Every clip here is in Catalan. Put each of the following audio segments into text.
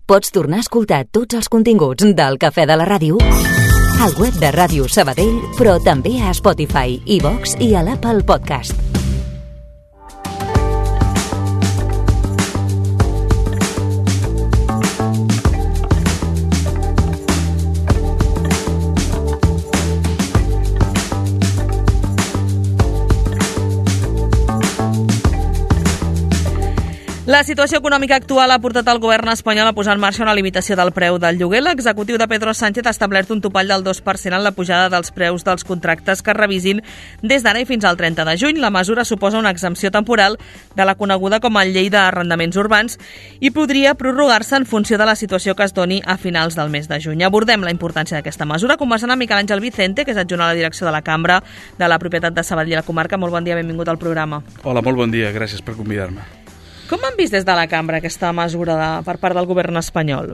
Pots tornar a escoltar tots els continguts del Cafè de la Ràdio al web de Ràdio Sabadell, però també a Spotify, iVox i a l'Apple Podcast. La situació econòmica actual ha portat el govern espanyol a posar en marxa una limitació del preu del lloguer. L'executiu de Pedro Sánchez ha establert un topall del 2% en la pujada dels preus dels contractes que es revisin des d'ara i fins al 30 de juny. La mesura suposa una exempció temporal de la coneguda com a llei d'arrendaments urbans i podria prorrogar-se en funció de la situació que es doni a finals del mes de juny. Abordem la importància d'aquesta mesura conversant amb Miquel Àngel Vicente, que és adjunt a la direcció de la Cambra de la Propietat de Sabadell i la Comarca. Molt bon dia, benvingut al programa. Hola, molt bon dia, gràcies per convidar-me. Com han vist des de la Cambra aquesta mesura per part del govern espanyol?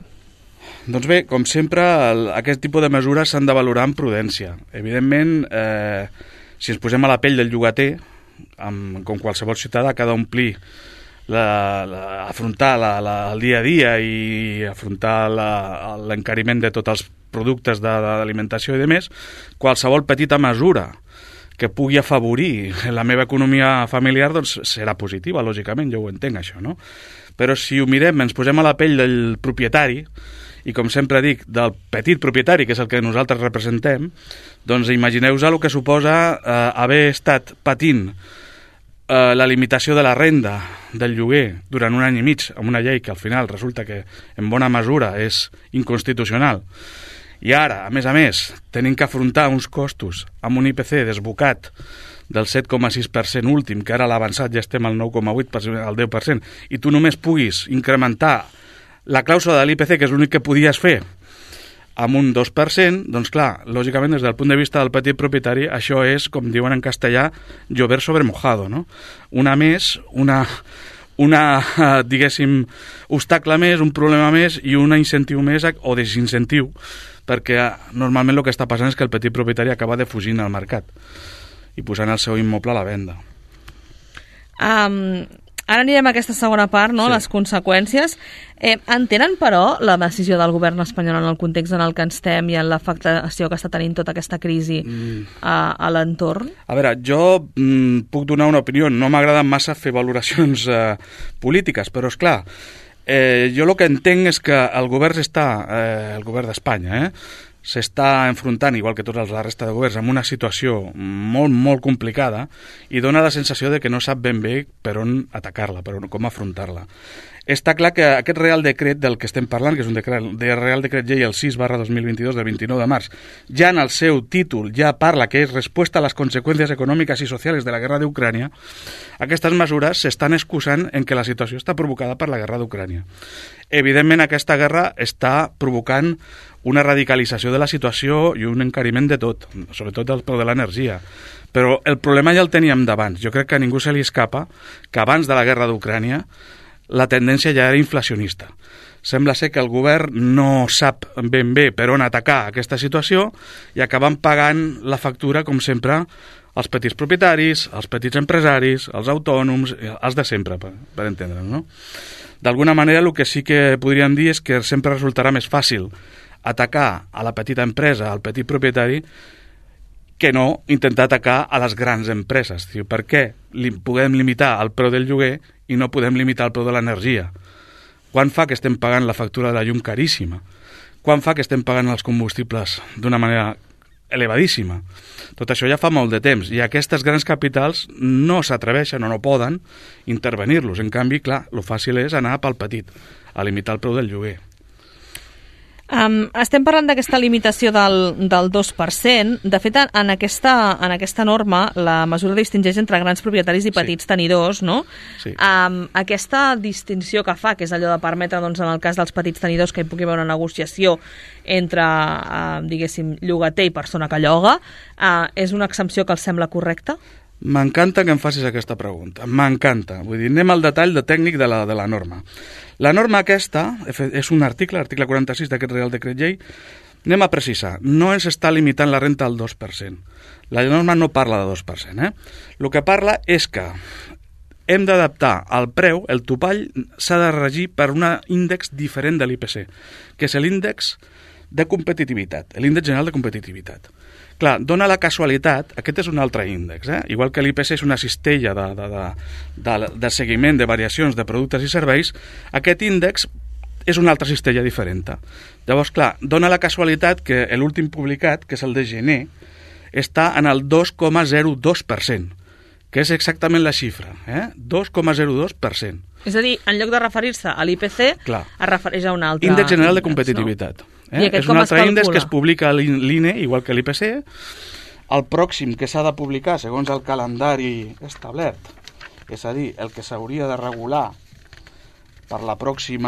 Doncs bé, com sempre, aquest tipus de mesures s'han de valorar amb prudència. Evidentment, si ens posem a la pell del llogater, com qualsevol ciutadà que ha d'omplir, afrontar el dia a dia i afrontar l'encariment de tots els productes d'alimentació i demés, qualsevol petita mesura que pugui afavorir la meva economia familiar, doncs serà positiva, lògicament, jo ho entenc, això, no? Però si ho mirem, ens posem a la pell del propietari, i com sempre dic, del petit propietari, que és el que nosaltres representem, doncs imagineu-vos el que suposa haver estat patint la limitació de la renda del lloguer durant un any i mig, amb una llei que al final resulta que en bona mesura és inconstitucional. I ara, a més, tenim que afrontar uns costos amb un IPC desbocat del 7,6% últim, que ara a l'avançat ja estem al 9,8%, al 10%, i tu només puguis incrementar la clàusula de l'IPC, que és l'únic que podies fer, amb un 2%, doncs clar, lògicament, des del punt de vista del petit propietari, això és, com diuen en castellà, llover sobre mojado, no? Diguéssim, obstacle més, un problema més i un incentiu més o desincentiu, perquè normalment el que està passant és que el petit propietari acaba defugint al mercat i posant el seu immoble a la venda. Ara anirem a aquesta segona part, no? Sí. Les conseqüències. Entenen, però, la decisió del govern espanyol en el context en el que estem i en l'afectació que està tenint tota aquesta crisi a l'entorn? A veure, jo puc donar una opinió. No m'agrada massa fer valoracions polítiques, però, esclar, jo el que entenc és que el govern d'Espanya, s'està enfrontant, igual que tota la resta de governs, amb una situació molt, molt complicada i dona la sensació de que no sap ben bé per on atacar-la, per on, com afrontar-la. Està clar que aquest Real Decret del que estem parlant, que és un Real Decret Llei el 6/2022 del 29 de març, ja en el seu títol ja parla que és resposta a les conseqüències econòmiques i socials de la guerra d'Ucrània. Aquestes mesures s'estan excusant en que la situació està provocada per la guerra d'Ucrània. Evidentment, aquesta guerra està provocant una radicalització de la situació i un encariment de tot, sobretot del preu de l'energia. Però el problema ja el teníem d'abans. Jo crec que a ningú se li escapa que abans de la guerra d'Ucrània la tendència ja era inflacionista. Sembla ser que el govern no sap ben bé per on atacar aquesta situació i acaben pagant la factura, com sempre, els petits propietaris, els petits empresaris, els autònoms, els de sempre, per entendre'ns, no? D'alguna manera, el que sí que podríem dir és que sempre resultarà més fàcil atacar a la petita empresa, al petit propietari, que no intentar atacar a les grans empreses. Per què podem limitar el preu del lloguer i no podem limitar el preu de l'energia? Quan fa que estem pagant la factura de la llum caríssima? Quan fa que estem pagant els combustibles d'una manera elevadíssima? Tot això ja fa molt de temps i aquestes grans capitals no s'atreveixen o no poden intervenir-los. En canvi, clar, el fàcil és anar pel petit, a limitar el preu del lloguer. Estem parlant d'aquesta limitació del 2%. De fet, en aquesta norma, la mesura distingeix entre grans propietaris i petits tenidors, no? Sí. Aquesta distinció que fa, que és allò de permetre, doncs, en el cas dels petits tenidors, que hi pugui haver una negociació entre, diguéssim, llogater i persona que lloga, és una exempció que els sembla correcta? M'encanta que em facis aquesta pregunta, m'encanta. Vull dir, anem al detall tècnic de la norma. La norma aquesta és un article 46 d'aquest Real Decret Llei. Anem a precisar, no ens està limitant la renta al 2%. La norma no parla de 2%. El que parla és que hem d'adaptar el preu, el topall s'ha de regir per un índex diferent de l'IPC, que és l'índex de competitivitat, l'índex general de competitivitat. Clar, dona la casualitat, aquest és un altre índex, igual que l'IPC és una cistella de seguiment de variacions de productes i serveis, aquest índex és una altra cistella diferent. Llavors, clar, dona la casualitat que l'últim publicat, que és el de gener, està en el 2,02%, que és exactament la xifra, 2,02%. És a dir, en lloc de referir-se a l'IPC, es refereix a un altre índex general de competitivitat. No? I És un altre índex que es publica a l'INE, igual que l'IPC. El pròxim que s'ha de publicar, segons el calendari establert, és a dir, el que s'hauria de regular pel pròxim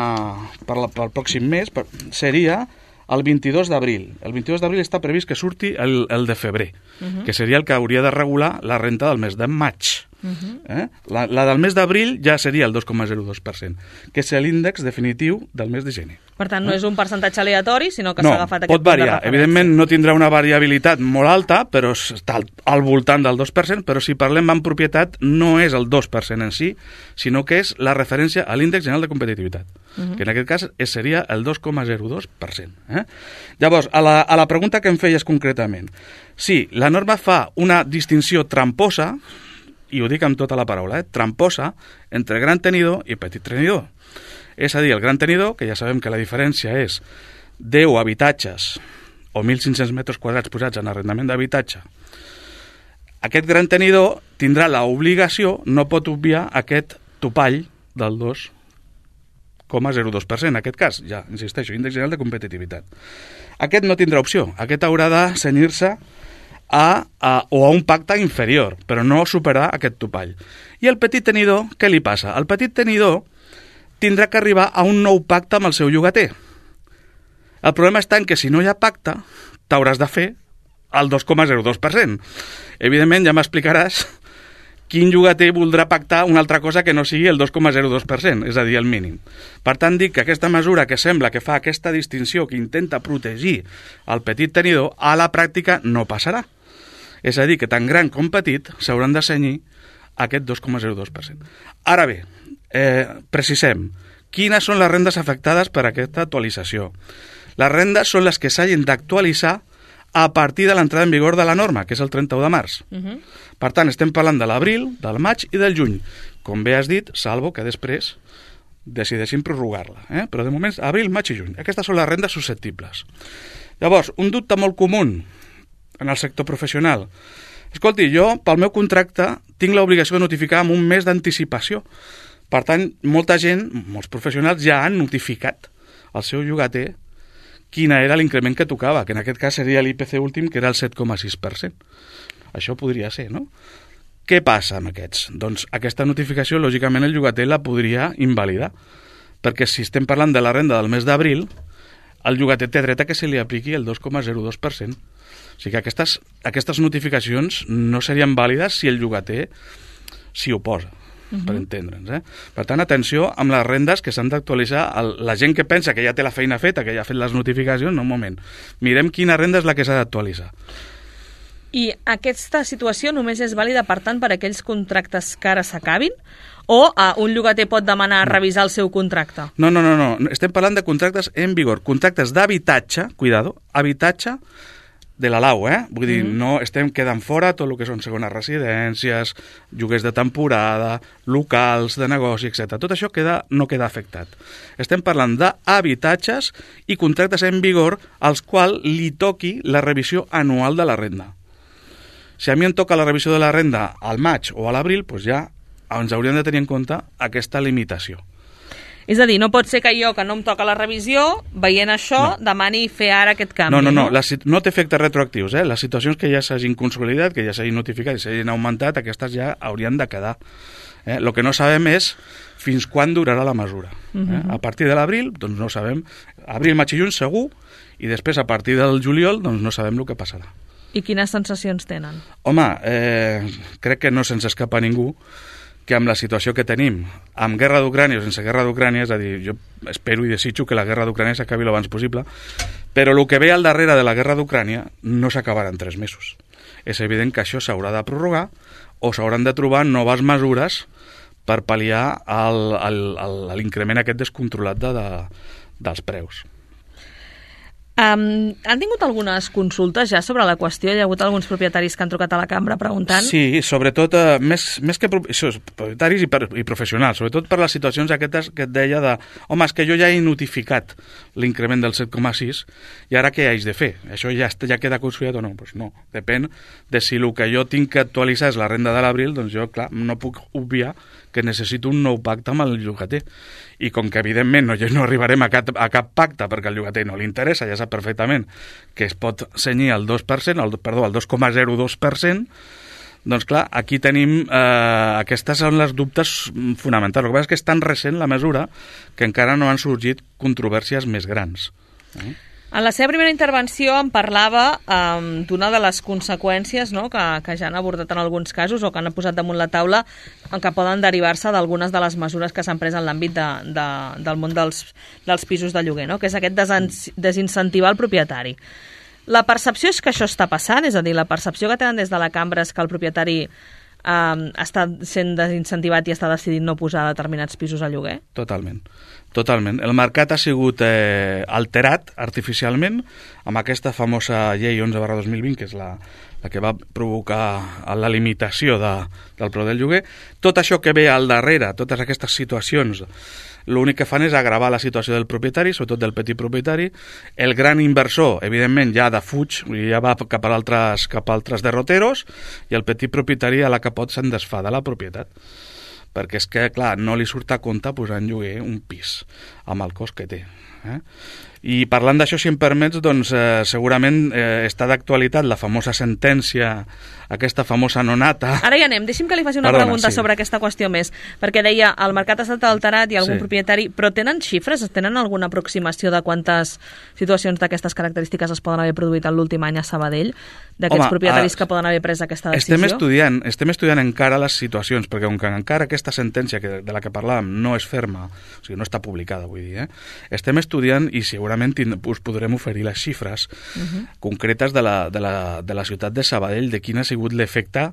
mes, seria el 22 d'abril. El 22 d'abril està previst que surti el de febrer, que seria el que hauria de regular la renta del mes de maig. La del mes d'abril ja seria el 2,02%, que és l'índex definitiu del mes de gener. Per tant, no és un percentatge aleatori, sinó que s'ha agafat aquest pot variar. Evidentment no tindrà una variabilitat molt alta, però està al voltant del 2%, però si parlem en propietat no és el 2% en si, sinó que és la referència a l'índex general de competitivitat, que en aquest cas seria el 2,02%. Llavors, a la pregunta que em feies concretament, sí, la norma fa una distinció tramposa, i ho dic amb tota la paraula, tramposa, entre gran tenidor i petit tenidor. És a dir, el gran tenidor, que ja sabem que la diferència és 10 habitatges o 1.500 metres quadrats posats en arrendament d'habitatge, aquest gran tenidor tindrà l'obligació, no pot obviar aquest topall del 2,02%, en aquest cas, ja insisteixo, índex general de competitivitat. Aquest no tindrà opció, aquest haurà de cenyir-se a un pacte inferior, però no superar aquest topall. I el petit tenidor, què li passa? El petit tenidor tindrà que arribar a un nou pacte amb el seu llogater. El problema està en que si no hi ha pacte, t'hauràs de fer el 2,02%. Evidentment, ja m'explicaràs quin llogater voldrà pactar una altra cosa que no sigui el 2,02%, és a dir, el mínim. Per tant, dic que aquesta mesura que sembla que fa aquesta distinció, que intenta protegir el petit tenidor, a la pràctica no passarà. És a dir, que tant gran com petit s'hauran de cenyir aquest 2,02%. Ara bé, precisem, quines són les rendes afectades per aquesta actualització? Les rendes són les que s'hagin d'actualitzar a partir de l'entrada en vigor de la norma, que és el 31 de març. Per tant, estem parlant de l'abril, del maig i del juny. Com bé has dit, salvo que després decideixin prorrogar-la. Però de moment, abril, maig i juny. Aquestes són les rendes susceptibles. Llavors, un dubte molt comú en el sector professional. Escolti, jo, pel meu contracte, tinc l'obligació de notificar amb un mes d'anticipació. Per tant, molta gent, molts professionals, ja han notificat al seu llogater quina era l'increment que tocava, que en aquest cas seria l'IPC últim, que era el 7,6%. Això podria ser, no? Què passa amb aquests? Doncs aquesta notificació, lògicament, el llogater la podria invalidar, perquè si estem parlant de la renda del mes d'abril, el llogater té dret a que se li apliqui el 2,02%. O sigui que aquestes notificacions no serien vàlides si el llogater s'hi oposa, per entendre'ns. Per tant, atenció amb les rendes que s'han d'actualitzar. La gent que pensa que ja té la feina feta, que ja ha fet les notificacions, no, un moment. Mirem quina renda és la que s'ha d'actualitzar. I aquesta situació només és vàlida, per tant, per aquells contractes que ara s'acabin? O un llogater pot demanar revisar el seu contracte? No. Estem parlant de contractes en vigor. Contractes d'habitatge, cuidado, habitatge de la lau, Vull dir, no estem quedant fora tot el que són segones residències, lloguers de temporada, locals de negoci, etc. Tot això no queda afectat. Estem parlant d'habitatges i contractes en vigor als quals li toqui la revisió anual de la renda. Si a mi em toca la revisió de la renda al maig o a l'abril, doncs ja ens hauríem de tenir en compte aquesta limitació. És a dir, no pot ser que jo, que no em toca la revisió, veient això, demani fer ara aquest canvi. No té efectes retroactius. Les situacions que ja s'hagin consolidat, que ja s'hagin notificat i s'hagin augmentat, aquestes ja haurien de quedar. El que no sabem és fins quan durarà la mesura. A partir de l'abril, doncs no sabem. Abril, maig i juny segur, i després a partir del juliol doncs no sabem el que passarà. I quines sensacions tenen? Home, crec que no se'ns escapa ningú que amb la situació que tenim, amb guerra d'Ucrània o sense guerra d'Ucrània, és a dir, jo espero i desitjo que la guerra d'Ucrània s'acabi l'abans possible, però el que ve al darrere de la guerra d'Ucrània no s'acabarà en 3 mesos. És evident que això s'haurà de prorrogar o s'hauran de trobar noves mesures per pal·liar l'increment aquest descontrolat dels preus. Han tingut algunes consultes ja sobre la qüestió? Hi ha hagut alguns propietaris que han trucat a la cambra preguntant? Sí, sobretot, més que propietaris i professionals, sobretot per les situacions aquestes que et deia de home, és que jo ja he notificat l'increment del 7,6 i ara què haig de fer? Això ja queda consoldat o no? Doncs no, depèn de si el que jo tinc que actualitzar és la renda de l'abril, doncs jo, clar, no puc obviar que necessito un nou pacte amb el llogater. I com que, evidentment, no arribarem a cap pacte perquè al llogater no li interessa, ja sap perfectament que es pot cenyir al 2%, al 2,02%, doncs clar, aquí tenim... aquestes són les dubtes fonamentals. El que passa és que és tan recent la mesura que encara no han sorgit controvèrsies més grans. En la seva primera intervenció em parlava d'una de les conseqüències, no?, que ja han abordat en alguns casos o que han posat damunt la taula que poden derivar-se d'algunes de les mesures que s'han pres en l'àmbit del món dels pisos de lloguer, no?, que és aquest desincentivar el propietari. La percepció és que això està passant, és a dir, la percepció que tenen des de la cambra és que el propietari està sent desincentivat i està decidint no posar determinats pisos a lloguer? Totalment. El mercat ha sigut alterat artificialment amb aquesta famosa llei 11/2020, que és la que va provocar la limitació del preu del lloguer. Tot això que ve al darrere, totes aquestes situacions, l'únic que fan és agravar la situació del propietari, sobretot del petit propietari. El gran inversor, evidentment, ja defuig, ja va cap a altres derroteros, i el petit propietari a la que pot se'n desfà de la propietat. Perquè és que, clar, no li surt a compte posar en lloguer un pis amb el cost que té. I parlant d'això, si em permets, doncs segurament està d'actualitat la famosa sentència, aquesta famosa nonata. Ara hi anem, deixi'm que li faci una pregunta sobre aquesta qüestió més, perquè deia, el mercat ha estat alterat i algun propietari, però tenen xifres? Tenen alguna aproximació de quantes situacions d'aquestes característiques es poden haver produït en l'últim any a Sabadell, d'aquests propietaris que poden haver pres aquesta decisió? Estem estudiant encara les situacions, perquè com que encara aquesta sentència de la que parlàvem no és ferma, o sigui, no està publicada, vull dir, estem estudiant i segurament us podrem oferir les xifres concretes de la ciutat de Sabadell, de quin ha sigut l'efecte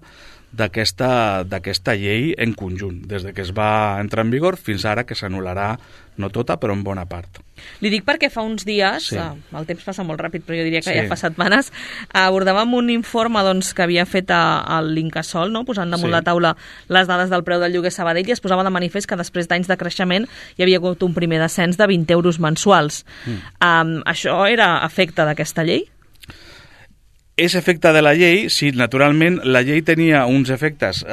d'aquesta llei en conjunt, des que es va entrar en vigor fins ara, que s'anul·larà, no tota, però en bona part. Li dic perquè fa uns dies, el temps passa molt ràpid, però jo diria que ja fa setmanes, abordàvem un informe que havia fet l'Incasòl, posant damunt la taula les dades del preu del lloguer a Sabadell, i es posava de manifest que després d'anys de creixement hi havia hagut un primer descens de 20 euros mensuals. Això era efecte d'aquesta llei? És efecte de la llei, sí, naturalment la llei tenia uns efectes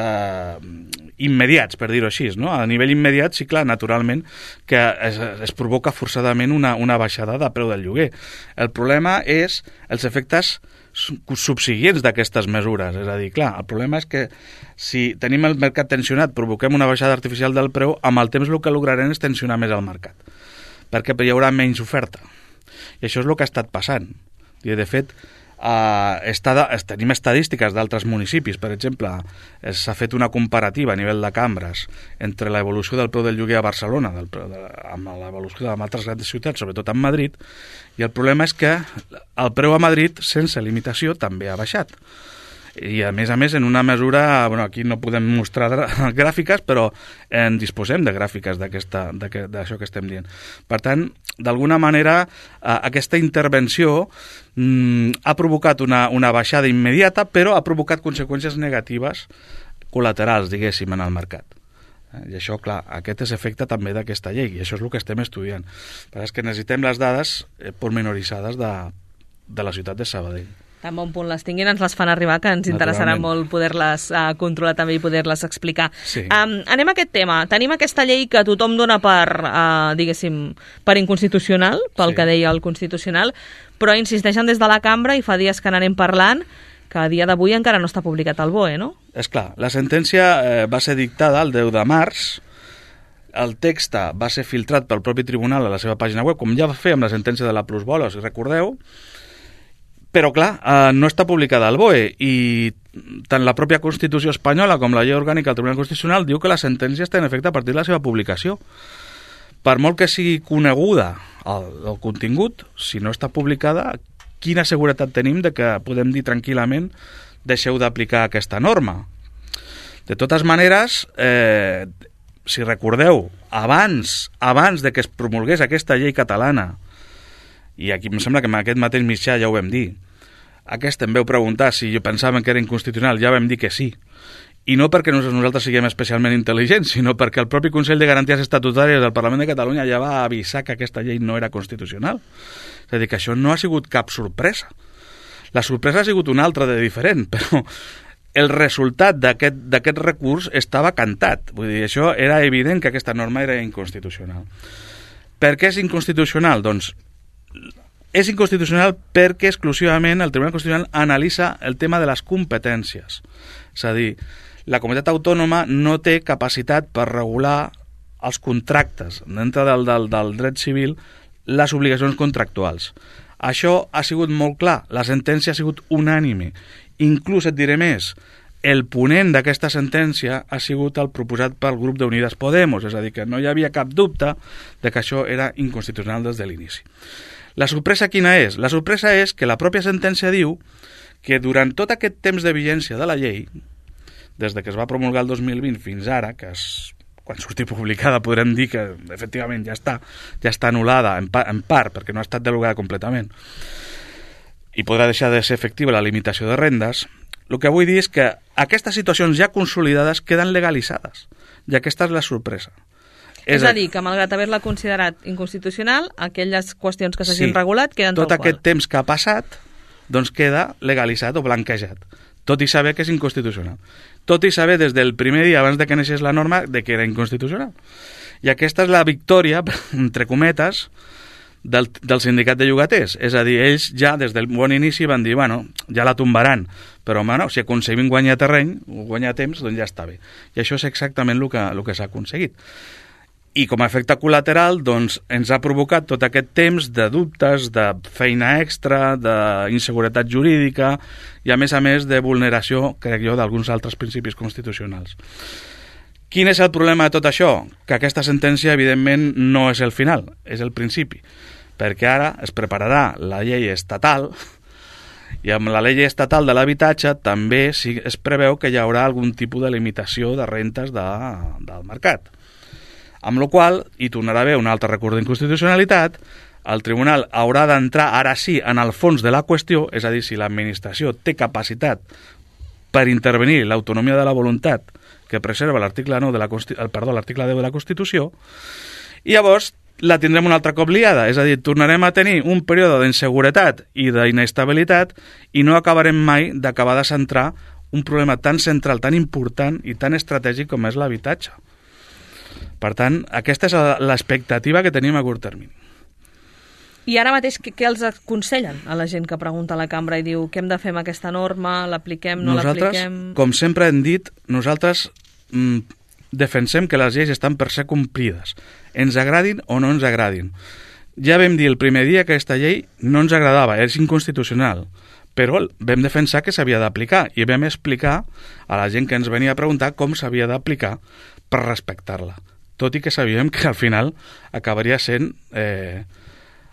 immediats, per dir-ho així, no? A nivell immediat, sí, clar, naturalment que es provoca forçadament una baixada de preu del lloguer. El problema és els efectes subsiguients d'aquestes mesures, és a dir, clar, el problema és que si tenim el mercat tensionat, provoquem una baixada artificial del preu, amb el temps el que lograrem és tensionar més el mercat, perquè hi haurà menys oferta. I això és el que ha estat passant. I, de fet, tenim estadístiques d'altres municipis. Per exemple, s'ha fet una comparativa a nivell de cambres entre l'evolució del preu del lloguer a Barcelona amb l'evolució d'altres grans ciutats, sobretot en Madrid, i el problema és que el preu a Madrid, sense limitació, també ha baixat. I, a més, en una mesura... aquí no podem mostrar gràfiques, però en disposem de gràfiques d'això que estem dient. Per tant, d'alguna manera, aquesta intervenció ha provocat una baixada immediata, però ha provocat conseqüències negatives col·laterals, diguéssim, en el mercat. I això, clar, aquest és efecte també d'aquesta llei, i això és el que estem estudiant. Però és que necessitem les dades pormenoritzades de la ciutat de Sabadell. Tan bon punt les tinguin, ens les fan arribar, que ens interessarà molt poder-les controlar també i poder-les explicar. Sí. Anem a aquest tema. Tenim aquesta llei que tothom dona per inconstitucional, pel que deia el Constitucional, però insisteixen des de la cambra i fa dies que n'anem parlant, que a dia d'avui encara no està publicat al BOE, no? És clar, la sentència va ser dictada el 10 de març, el text va ser filtrat pel propi tribunal a la seva pàgina web, com ja va fer amb la sentència de la plusvàlua, si recordeu, però, clar, no està publicada al BOE, i tant la pròpia Constitució espanyola com la llei orgànica del Tribunal Constitucional diu que la sentència està en efecte a partir de la seva publicació. Per molt que sigui coneguda el contingut, si no està publicada, quina seguretat tenim de que podem dir tranquil·lament deixeu d'aplicar aquesta norma? De totes maneres, si recordeu, abans de que es promulgués aquesta llei catalana, i aquí em sembla que en aquest mateix mitjà ja ho vam dir, aquesta em veu preguntar si pensaven que era inconstitucional, ja vam dir que sí. I no perquè nosaltres siguem especialment intel·ligents, sinó perquè el propi Consell de Garanties Estatutàries del Parlament de Catalunya ja va avisar que aquesta llei no era constitucional. És a dir, que això no ha sigut cap sorpresa. La sorpresa ha sigut una altra de diferent, però el resultat d'aquest recurs estava cantat. Vull dir, això era evident que aquesta norma era inconstitucional. Per què és inconstitucional? Doncs és inconstitucional perquè exclusivament el Tribunal Constitucional analitza el tema de les competències. És a dir, la comunitat autònoma no té capacitat per regular els contractes dintre del dret civil, les obligacions contractuals. Això ha sigut molt clar, la sentència ha sigut unànime. Inclús et diré més, el ponent d'aquesta sentència ha sigut el proposat pel grup d'Unides Podemos, és a dir, que no hi havia cap dubte de que això era inconstitucional des de l'inici. La sorpresa quina és? La sorpresa és que la pròpia sentència diu que durant tot aquest temps de vigència de la llei, des de que es va promulgar el 2020 fins ara, quan surti publicada podrem dir que efectivament ja està anul·lada en part perquè no ha estat derogada completament i podrà deixar de ser efectiva la limitació de rendes, el que vull dir és que aquestes situacions ja consolidades queden legalitzades i aquesta és la sorpresa. És a dir, que malgrat haver-la considerat inconstitucional, aquelles qüestions que s'hagin regulat queden tal qual. Tot aquest temps que ha passat doncs queda legalitzat o blanquejat, tot i saber que és inconstitucional. Tot i saber des del primer dia abans de que naixés la norma de que era inconstitucional. I aquesta és la victòria, entre cometes, del sindicat de llogaters. És a dir, ells ja des del bon inici van dir, bueno, ja la tombaran, però home, no, si aconseguim guanyar terreny o guanyar temps, doncs ja està bé. I això és exactament el que s'ha aconseguit. I com a efecte col·lateral doncs, ens ha provocat tot aquest temps de dubtes, de feina extra, d'inseguretat jurídica i a més de vulneració, crec jo, d'alguns altres principis constitucionals. Quin és el problema de tot això? Que aquesta sentència, evidentment, no és el final, és el principi, perquè ara es prepararà la llei estatal i amb la llei estatal de l'habitatge també es preveu que hi haurà algun tipus de limitació de rentes del mercat. Amb la qual cosa, hi tornarà a haver un altre recurs d'inconstitucionalitat, el tribunal haurà d'entrar ara sí en el fons de la qüestió, és a dir, si l'administració té capacitat per intervenir l'autonomia de la voluntat que preserva l'article 10 de la Constitució, i llavors la tindrem un altre cop liada, és a dir, tornarem a tenir un període d'inseguretat i d'inestabilitat i no acabarem mai d'acabar de centrar un problema tan central, tan important i tan estratègic com és l'habitatge. Per tant, aquesta és l'expectativa que tenim a curt termini. I ara mateix, què els aconsellen a la gent que pregunta a la cambra i diu què hem de fer amb aquesta norma, l'apliquem, no l'apliquem? Nosaltres, com sempre hem dit, nosaltres defensem que les lleis estan per ser complides, ens agradin o no ens agradin. Ja vam dir el primer dia que aquesta llei no ens agradava, és inconstitucional, però vam defensar que s'havia d'aplicar i vam explicar a la gent que ens venia a preguntar com s'havia d'aplicar per respectar-la. Tot i que sabíem que al final acabaria sent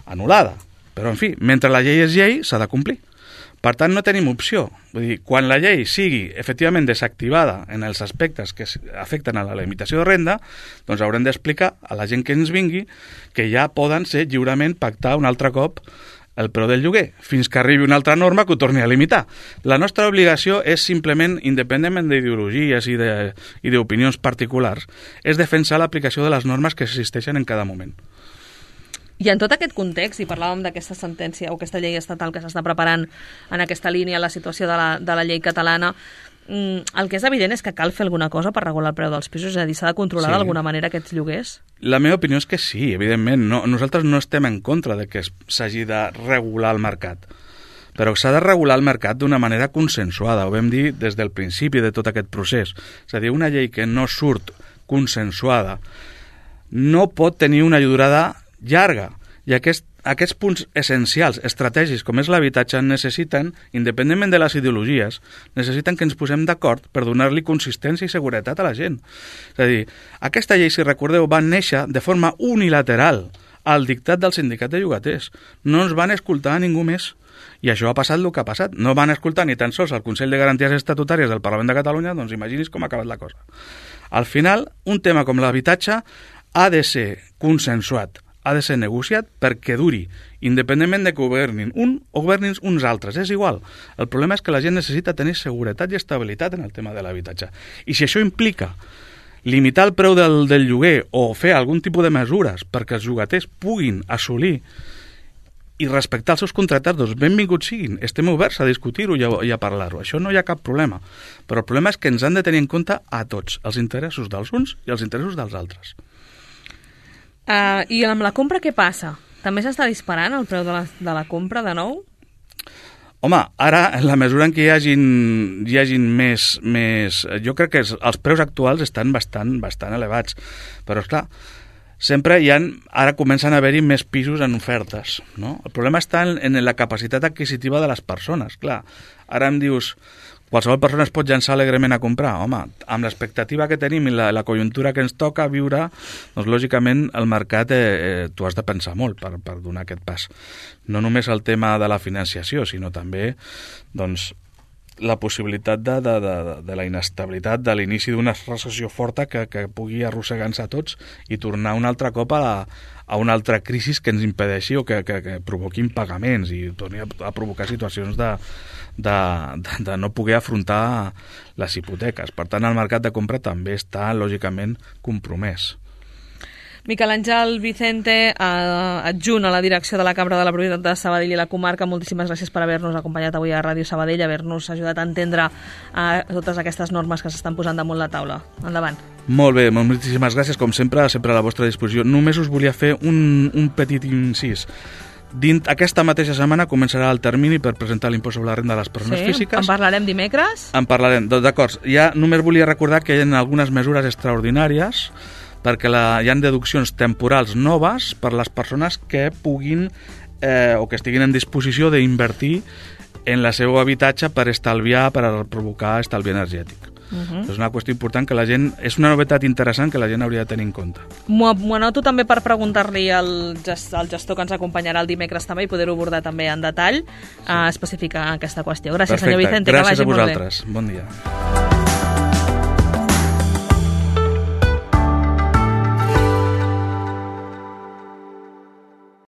anul·lada. Però, en fi, mentre la llei és llei, s'ha de complir. Per tant, no tenim opció. Vull dir, quan la llei sigui efectivament desactivada en els aspectes que afecten a la limitació de renda, doncs haurem d'explicar a la gent que ens vingui que ja poden ser lliurement pactar un altre cop el preu del lloguer, fins que arribi una altra norma que ho torni a limitar. La nostra obligació és simplement, independentment d'ideologies i d'opinions particulars, és defensar l'aplicació de les normes que existeixen en cada moment. I en tot aquest context, i parlàvem d'aquesta sentència o aquesta llei estatal que s'està preparant en aquesta línia, la situació de la llei catalana, el que és evident és que cal fer alguna cosa per regular el preu dels pisos, és a dir, s'ha de controlar d'alguna manera aquests lloguers? La meva opinió és que sí, evidentment. Nosaltres no estem en contra de que s'hagi de regular el mercat, però s'ha de regular el mercat d'una manera consensuada, ho vam dir des del principi de tot aquest procés. És a dir, una llei que no surt consensuada no pot tenir una durada llarga, i aquests punts essencials, estratègics, com és l'habitatge, necessiten, independentment de les ideologies, necessiten que ens posem d'acord per donar-li consistència i seguretat a la gent. És a dir, aquesta llei, si recordeu, va néixer de forma unilateral al dictat del sindicat de llogaters. No ens van escoltar a ningú més. I això ha passat el que ha passat. No van escoltar ni tan sols el Consell de Garanties Estatutàries del Parlament de Catalunya, doncs imaginis com ha acabat la cosa. Al final, un tema com l'habitatge ha de ser consensuat, ha de ser negociat perquè duri, independentment de que governin un o governin uns altres, és igual. El problema és que la gent necessita tenir seguretat i estabilitat en el tema de l'habitatge. I si això implica limitar el preu del lloguer o fer algun tipus de mesures perquè els llogaters puguin assolir i respectar els seus contractes, doncs benvinguts siguin. Estem oberts a discutir-ho i a parlar-ho. Això no hi ha cap problema. Però el problema és que ens han de tenir en compte a tots, els interessos dels uns i els interessos dels altres. I amb la compra què passa? També s'està disparant el preu de la compra de nou? Home, ara, en la mesura en què hi hagin més... Jo crec que els preus actuals estan bastant elevats. Però, esclar, sempre ara comencen a haver-hi més pisos en ofertes, no? El problema està en la capacitat adquisitiva de les persones. Clar, ara em dius... Qualsevol persona es pot llançar alegrement a comprar. Home, amb l'expectativa que tenim i la conjuntura que ens toca viure, doncs lògicament el mercat tu has de pensar molt per donar aquest pas. No només el tema de la financiació, sinó també doncs, la possibilitat de la inestabilitat de l'inici d'una recessió forta que pugui arrossegar-nos a tots i tornar un altre cop a una altra crisi que ens impedeixi o que provoqui impagaments i torni a provocar situacions de no poder afrontar les hipoteques. Per tant, el mercat de compra també està, lògicament, compromès. Miquel Àngel Vicente, adjunt a la direcció de la Cambra de la Propietat de Sabadell i la comarca, moltíssimes gràcies per haver-nos acompanyat avui a Ràdio Sabadell, haver-nos ajudat a entendre totes aquestes normes que s'estan posant damunt la taula. Endavant. Molt bé, moltíssimes gràcies, com sempre a la vostra disposició. Només us volia fer un petit incís. Aquesta mateixa setmana començarà el termini per presentar l'impost sobre la renda de les persones físiques. En parlarem dimecres? En parlarem, d'acord. Ja només volia recordar que hi ha algunes mesures extraordinàries perquè hi ha deduccions temporals noves per les persones que puguin o que estiguin en disposició d'invertir en el seu habitatge per estalviar, per provocar estalvi energètic. És una qüestió important que la gent... És una novetat interessant que la gent hauria de tenir en compte. M'ho anoto també per preguntar-li al gestor que ens acompanyarà el dimecres també i poder-ho abordar també en detall, especificar aquesta qüestió. Gràcies, senyor Vicente. Gràcies a vosaltres. Bon dia.